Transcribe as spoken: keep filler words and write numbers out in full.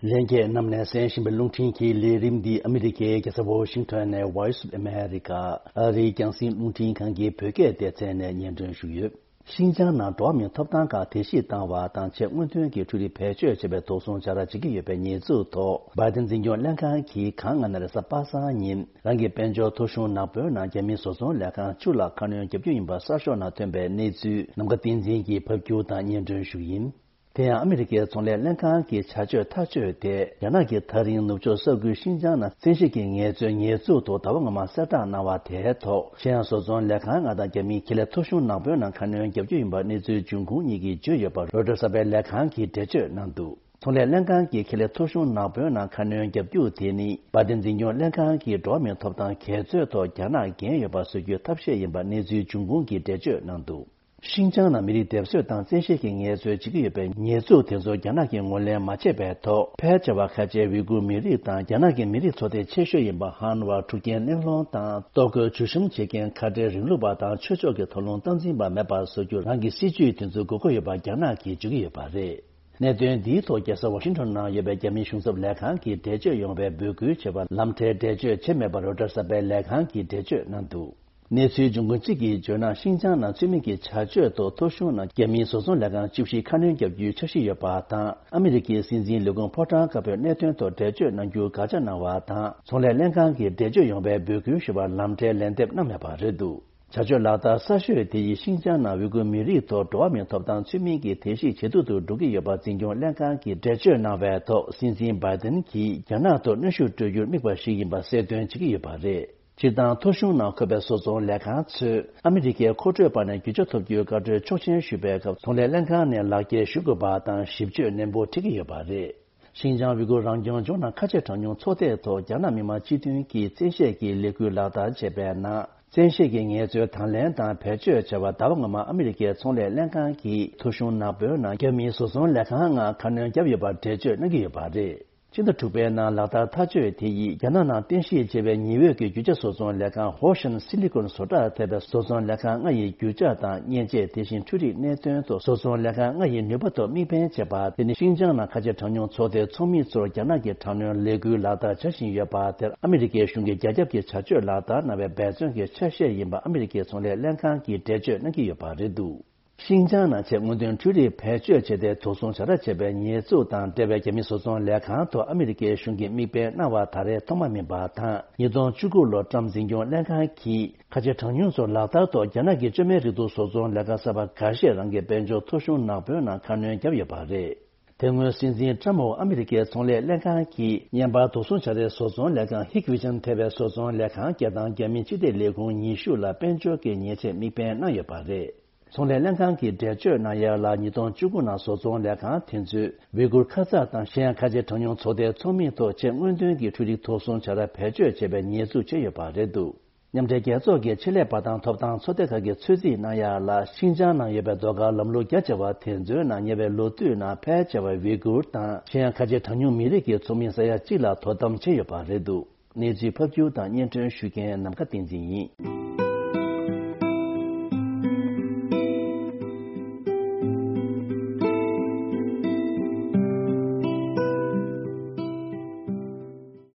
ལྷན་རྒྱས་རྣམས་ནས་གསན་བཞིན་པའི་རླུང་འཕྲིན་གྱི་ལས་རིམ་འདི་ཨ་མི་རི་ཀའི་རྒྱལ་ས་ཝོ་ཤིང་ཊོན་ནས་Voice of America ཨ་རིའི་རྒྱང་སྲིང་རླུང་འཕྲིན་ཁང་གི་བོད་སྐད་སྡེ་ཚན་ནས་སྙན་སྒྲོན་ཞུས་ཡོད། ཤིན་ཅང་ནང་འགྲོ་བ་མིའི་ཐོབ་ཐང་ཁག་བརྡལ་བཤིག་བཏང་བ་དང་ཆེས་སྔོན་ཐོན་གྱི་འཕྲུལ་རིག་བེད་སྤྱོད་བྱས་པའི་དོགས་ཟོན་བྱ་ར་བྱེད་ཀྱི་ཡོད་པའི་ཉེས་འཛུགས་ཐོག་བྷའི་ཏིན་འཛིན་སྐྱོང་ལྷན་ཁང་གིས་གངས་ལྔ་ནས་རེས་གཟའ་པ་སངས་ཉིན་རང་གི་དཔལ་འབྱོར་ཐོ་གཞུང་ནག་པོའི་ནང་རྒྱ་མིའི་བཟོ་ཚོང་ལས་ཁང་བཅུ་ལ་ཁ་སྣོན་བརྒྱབ་རྒྱུ་ཡིན་པ་གསར་ཤོག་ནང་ཐོན་པའི་གནས་ཚུལ་ནམ་མཁའ་བསྟན་འཛིན་གྱིས་ཕབ་སྒྱུར་དང་སྙན་སྒྲོན་ཞུ་གི་ཡིན། དེ་ཡང་ཨ་མི་རི་ཀའི་ཚོང་ལས་ལྷན་ཁང་གི་བྱ་སྤྱོད་ཐག་གཅོད་དེ་རྒྱ་ནག་གིས་ད་རིང་ནུབ་ཕྱོགས་ས་ཁུལ་ཤིན་ཅང་ནང་བཙན་ཤེད་ཀྱིས་ངལ་རྩོལ་ཉེས་འཛུགས་ཐོག་ཟླ་བ་སྔོན་མ་གསལ་བསྒྲགས་གནང་བ་དེའི་ཐོག་ཤེས་ཡང་བཟོ་ཚོང་ལས་ཁང་ལྔ་དང་རྒྱ་མིའི་ཁེ་ལས་ཐོ་གཞུང་ནག་པོའི་ནང་ཁ་སྣོན་བརྒྱབ་རྒྱུ་ཡིན་པ་གནས་ཚུལ་འབྱུང་ཁུངས་གཉིས་ཀྱིས་བརྗོད་ཡོད་པ་རོའི་ཊར་གསར་པའི་ལས་ཁང་གིས་འགྲེལ་བརྗོད་གནང་འདུག་ཚོང་ལས་ལྷན་ཁང་གིས་ཁེ་ལས་ཐོ་གཞུང་ནག་པོའི་ནང་ཁ་སྣོན་བརྒྱབ་རྒྱུ་དེ་ནི་བྷའི་ཏིན་འཛིན་སྐྱོང་ལྷན་ཁང་གིས་འགྲོ་བ་མིའི་ཐོབ་ཐང་འགལ་རྩོད་ཐོག་རྒྱ་ནག་འགན་ཡོད་པ་བཟོ་རྒྱུའི་ཐབས་ཤེས་ཡིན་པ་གནས་ཚུལ་འབྱུང་ཁུངས་ཀྱིས་འགྲེལ་བརྗོད་གནང་འདུག་ཤིན་ཅང་ནང་མི་རིགས་སྡེབ་གསོད་དང་བཙན་ཤེད་ཀྱིས་ངལ་རྩོལ་བྱེད་ཀྱི་ཡོད་པའི་ཉེས་འཛུགས་དེ་ཚོར་རྒྱ་ནག་གིས་ངོས་ལེན་མ་བྱས་པའི་ཐོག་ཕལ་ཆེ་བ་ཁ་ཆེའི་ཝི་གུར་མི་རིགས་དང་རྒྱ་ནག་གི་མི་རིགས་ཚོགས་སྡེ་ཆེ་ཤོས་ཡིན་པ་ཧན་ཝ་འཁྲུག་རྐྱེན་གླེང་སློང་དང་ལྟོ་གོས་བྱུག་གཤོམ་བྱེད་མཁན་ཁ་བྲལ་རིང་ལུགས་པ་དང་ཆོས་ཕྱོགས་ཀྱི་དོགས་སློང་སྟངས་འཛིན་པ་མེད་པ་བཟོ་རྒྱུར་རང་གི་སྲིད་ཇུས་དེ་ཚོ་དགོས་མཁོ་ཡོད་པ་རྒྱ་ནག་གིས་བརྗོད་ཀྱི་ཡོད་པ་རེད། གནད་དོན་འདིའི་ཐོག་རྒྱལ་ས་ཝ་ཤིང་ཊོན་ནང་ཡོད་པའི་རྒྱ་མིའི་གཞུང་ཚབ་ལས་ཁང་གིས་འགྲེལ་བརྗོད་ཡོང་བའི་འབོད་སྐུལ་བྱས་པ་ལམ་འཕྲལ་འགྲེལ་བརྗོད་བྱས་མེད་པར་རོའི་ཊར་གསར་པའི་ལས་ཁང་གིས་འགྲེལ་བརྗོད་གནང་འདུག་གནས་ཚུལ་འབྱུང་ཁུངས་གཅིག་གིས་བརྗོད་ན། ཤིན་ཅང་ནང་ཚུལ་མིན་གྱི་བྱ་སྤྱོད་ཐོག་ཐོ་གཞུང་ནང་རྒྱ་མིའི་བཟོ་ཚོང་ལས་ཁང་བཅུ་བཞི་ཁ་སྣོན་བརྒྱབ་རྒྱུའི་འཆར་གཞི་ཡོད་པ་དང་། ཨ་མི་རི་ཀའི་སྲིད་འཛིན་ལས་ཁུངས་ཕོ་བྲང་དཀར་པོས་གནད་དོན་ཐོག་འགྲེལ་བརྗོད་གནང་རྒྱུར་དགག་བྱ་གནང་བ་དང་། ཚོང་ལས་ལྷན་ཁང་གིས་འགྲེལ་བརྗོད་ཡོང་བའི་འབོད་སྐུལ་ཞུ་བར་ལམ་འཕྲལ་ལན་འདེབས་གནང་མེད་པ་རེད་འདུག་བྱ་སྤྱོད་ལག་བསྟར་གསར་ཤོས་དེ་ཡིས་ཤིན་ཅང་ནང་ཝི་གུར་མི་རིགས་ཐོག་འགྲོ་བ་མིའི་ཐོབ་ཐང་ཚུལ་མིན་གྱི་བརྡལ་བཤིག་ཇེ་སྡུག་ཏུ་འགྲོ་གི་ཡོད་པ་འཛིན་སྐྱོང་ལྷན་ཁང་གིས་འགྲེལ་བརྗོད་གནང་བའི་ཐོག་སྲིད་འཛིན་བྷའི་ཏིན་གྱིས་རྒྱ་ནག་ཐོག་གནོན་ཤུགས་སྤྲོད་རྒྱུར་དམིགས་པ་ཞིག་ཡིན་པ་གསལ་སྟོན་བྱེད་ཀྱི་ཡོད་པ་རེད། སྤྱིར་བཏང་ཐོ་གཞུང་ནང་འཁོད་པའི་བཟོ་ཚོང་ལས་ཁང་ཚོས་ཨ་མི་རི་ཀའི་མཁོ་སྤྲོད་པ་ནས་རྒྱུ་ཆ་ཐོབ་རྒྱུའི་བཀའ་འཁྲོལ་ཆོག་མཆན་ཞུ་བའི་སྐབས་ཚོང་ལས་ལྷན་ཁང་ནས་ལག་འཁྱེར་ཞུ་དགོས་པ་དང་ཞིབ་དཔྱོད་ནན་པོ་བྱེད་ཀྱི་ཡོད་པ་རེད། ཤིན་ཅང་ཝི་གུར་རང་སྐྱོང་ལྗོངས་ནང་ཁ་ཆེ་གྲངས་ཉུང་ཚོགས་སྡེ་ཐོག་རྒྱ་ནག་མི་དམངས་སྤྱི་མཐུན་གྱིས་བཙན་ཤེད་ཀྱིས་ལས་འགུལ་ལག་བསྟར་བྱས་པའི་ནང་། བཙན་ཤེད་ཀྱི་ངལ་རྩོལ་དང་ལེན་དང་བེད་སྤྱོད་བྱ་བར་ཟླ་བ་སྔོན་མ་ཨ་མི་རི་ཀའི་ཚོང་ལས་ལྷན་ཁང་གིས་ཐོ་གཞུང་ནག་པོའི་ནང་རྒྱ་མིའི་བཟོ་ཚོང་ལས་ཁང་ལྔ་ཁ་སྣོན་བརྒྱབ་ཡོད་པར་འགྲེལ་བརྗོད་གནང་གི་ཡོད་པ་རེད། ཕྱི་ཟླ་དྲུག་པའི་ནང་ལག་བསྟར་ཐག་གཅོད་དེ་ཡིས་རྒྱ་ནག་ནང་རྟེན་གཞི་བྱས་པའི་ཉི་འོད་ཀྱི་རྒྱུ་ཆ་བཟོ་ཚོང་ལས་ཁང་ཧོ་ཤན་སི་ལི་ཀོན་བཟོ་གྲྭར་ཐེབས་པའི་བཟོ་ཚོང་ལས་ཁང་ལྔ་ཡི་རྒྱུ་ཆ་དང་མཉེན་ཆས། དེ་བཞིན་འཕྲུལ་རིག་གནད་དོན་ཐོག་བཟོ་ཚོང་ལས་ཁང་ལྔ་ཡི་ནུས་པ་ཐོག་དམིགས་འབེན་བྱས་པ་དེ་ནི་ཤིན་ཅང་ནང་ཁ་ཆེ་གྲངས་ཉུང་ཚོགས་སྡེའི་ཚོགས་མི་ཚོར་རྒྱ་ནག་གིས་དྲག་གནོན་ལས་འགུལ་ལག་བསྟར་བྱ་བཞིན་ཡོད་པ་དེར་ཨ་མི་རི་ཀའི་གཞུང་གིས་རྒྱ་ཁྱབ་ཀྱི་བྱ་སྤྱོད་ལག་བསྟར་གནང་བའི་འབད་བརྩོན་གྱི་ཆ་ཤས་ཡིན་པ་ཨ་མི་རི་ཀའི་ཚོང་ལས་ལྷན་ཁང་གིས་འགྲེལ་བརྗོད་གནང་གི་ཡོད་པ་རེད་འདུག་ཤིན་ཅང་ནང་ཆེས་སྔོན་ཐོན་འཕྲུལ་རིག་བེད་སྤྱོད་བྱས་ཏེ་དོགས་ཟོན་བྱ་ར་བྱས་པའི་ཉེས་འཛུགས་དང་འབྲེལ་བའི་རྒྱ་མི་བཟོ་ཚོང་ལས་ཁང་ཐོག་ཨ་མི་རི་ཀའི་གཞུང་གིས་དམིགས་འབེན་གནང་བ་ད་རེས་ཐོག་མ་མིན་པ་དང་། ཉིས་སྟོང་བཅུ་དགུ་ལོར་ཊམ་འཛིན་སྐྱོང་ལྷན་ཁང་གིས་ཁ་ཆེ་གྲངས་ཉུང་ཚོར་ལག་བསྟར་ཐོག་རྒྱ་ནག་གི་བཅོས་མའི་རིགས་འདུག་བཟོ་ཚོང་ལས་ཁང་གསར་པ་འགའ་ཤས་རང་གི་དཔལ་འབྱོར་ཐོ་གཞུང་ནག་པོའི་ནང་ཁ་སྣོན་བརྒྱབ་ཡོད་པ་རེད། དེ་སྔོན་སྲིད་འཛིན་ཊམ་འོག་ཨ་མི་རི་ཀའི་ཚོང་ལས་ལྷན་ཁང་གིས་བརྙན་པར་དོགས་ཟོན་བྱ་རའི་བཟོ་ཚོང་ལས་ཁང་ཧིག་ཝི་ཇན་ཐེ་བའི་བཟོ་ཚོང་ལས་ཁང་བརྒྱད་དང་རྒྱ་མིའི་སྤྱི་བདེ་ལས་ཁུངས་ཉི་ཤུ་ལ་དཔལ་འབྱོར་གྱི་ཉེས་ཆད་དམིགས་འབེན་གནང་ཡོད་པ་རེད། ཚོང་ལས་ལྷན་ཁང་གིས་འགྲེལ་བརྗོད་གནང་ཡ་ལ། ཉིས་སྟོང་བཅུ་དགུ་ནང་བཟོ་ཚོང་ལས་ཁང་དེ་ཚོས་ཝི་གུར་ཁ་ཚ་དང་གཞན་ཡང་ཁ་ཆེ་གྲངས་ཉུང་ཚོགས་སྡེའི་ཚོགས་མི་ཐོག་ཆེས་སྔོན་ཐོན་གྱི་འཕྲུལ་རིག་དོགས་ཟོན་བྱ་ར་བེད་སྤྱོད་བྱས་པའི་ཉེས་འཛུགས་བྱས་ཡོད་པ་རེད་འདུག་མཉམ་འབྲེལ་རྒྱལ་ཚོགས་ཀྱི་ཆེད་ལས་པ་དང་ཐོབ་ཐང་ཚོགས་སྡེ་ཁག་གིས་ཚོད་རྩིས་གནང་ཡ་ལ། ཤིན་ཅང་ནང་ཡོད་པའི་ཟློས་གར་ལམ་ལུགས་རྒྱ་ཆེ་བ་དེ་ཚོའི་ནང་ཉེ་བའི་ལོ་དུས་ནང་ཕལ་ཆེ་བ་ཝི་གུར་དང་གཞན་ཡང་ཁ་ཆེ་གྲངས་ཉུང་མི་རིགས་ཀྱི་ཚོགས་མི་ས་ཡ་གཅིག་ལ་དོ་དམ་བྱས་ཡོད་པ་རེད་འདུག་གནས་ཚུལ་ཕབ་སྒྱུར་དང་སྙན་སྒྲོན་ཞུ་མཁན་ནམ་མཁའ་བསྟན་འཛིན་ཡིན།